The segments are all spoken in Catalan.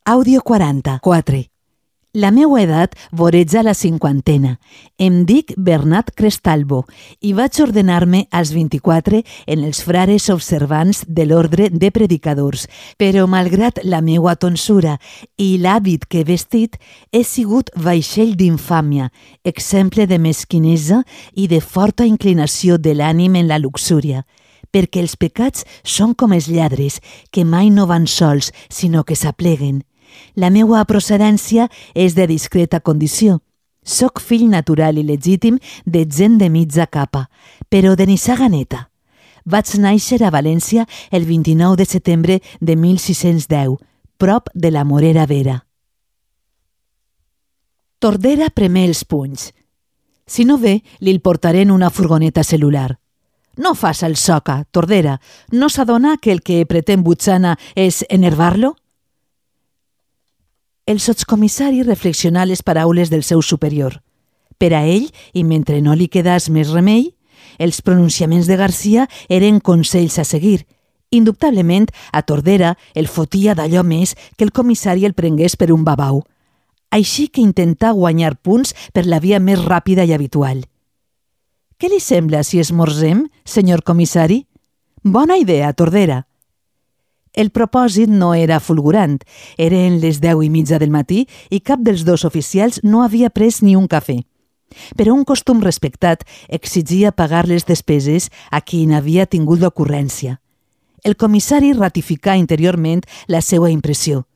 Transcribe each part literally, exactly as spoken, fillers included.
Àudio quaranta, quatre. La meua edat voreja la cinquantena. Em dic Bernat Crestalbo i vaig ordenar-me als vint-i-quatre en els frares observants de l'ordre de predicadors, però malgrat la meua tonsura i l'hàbit que he vestit, he sigut vaixell d'infàmia, exemple de mesquinesa i de forta inclinació de l'ànim en la luxúria, perquè els pecats són com els lladres, que mai no van sols, sinó que s'apleguen. La meua procedència és de discreta condició. Soc fill natural i legítim de gent de mitja capa, però de nissaga neta. Vaig néixer a València el vint-i-nou de setembre de mil sis-cents deu, prop de la Morera Vera. Tordera premé els punys. Si no ve, li'l portaré en una furgoneta celular. No faça el soca, Tordera. No s'adona que el que pretén Butxana és enervar-lo? El sotscomissari reflexionà les paraules del seu superior. Per a ell, i mentre no li quedàs més remei, els pronunciaments de Garcia eren consells a seguir. Indubtablement, a Tordera el fotia d'allò més que el comissari el prengués per un babau. Així que intentà guanyar punts per la via més ràpida i habitual. Què li sembla si esmorzem, senyor comissari? Bona idea, Tordera. El propòsit no era fulgurant. Eren les deu i mitja del matí i cap dels dos oficials no havia pres ni un cafè. Però un costum respectat exigia pagar les despeses a qui n'havia tingut l'ocurrència. El comissari ratificà interiorment la seva impressió.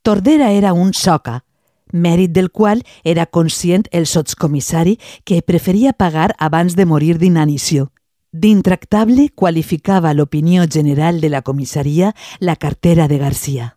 Tordera era un soca, mèrit del qual era conscient el sotscomissari que preferia pagar abans de morir d'inanició. D'intractable qualificava l'opinió general de la comissaria la cartera de Garcia.